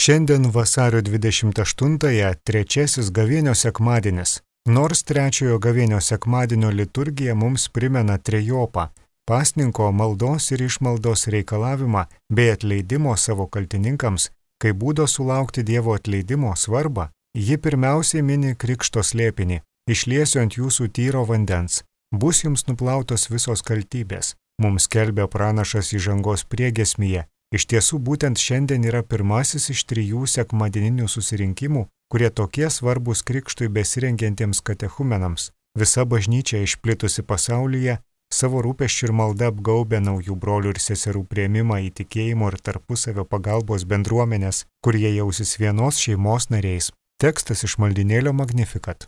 Šiandien vasario 28-ąją trečiasis gavėnios sekmadienis. Nors trečiojo gavėnios sekmadienio liturgija mums primena trejopą – pasninko maldos ir išmaldos reikalavimą bei atleidimo savo kaltininkams, kai būdo sulaukti Dievo atleidimo svarbą, ji pirmiausiai mini krikšto slėpinį – išliesiu ant jūsų tyro vandens, bus jums nuplautos visos kaltybės. Mums skelbia pranašas įžangos priegiesmyje. Iš tiesų būtent šiandien yra pirmasis iš 3 sekmadieninių susirinkimų, kurie tokie svarbus krikštui besirengiantiems katechumenams. Visa bažnyčia išplitusi pasaulyje savo rūpesčių ir malda apgaubia naujų brolių ir seserų priėmimą į tikėjimo ir tarpusavio pagalbos bendruomenės, kurie jausis vienos šeimos nariais. Tekstas iš maldynėlio Magnificat.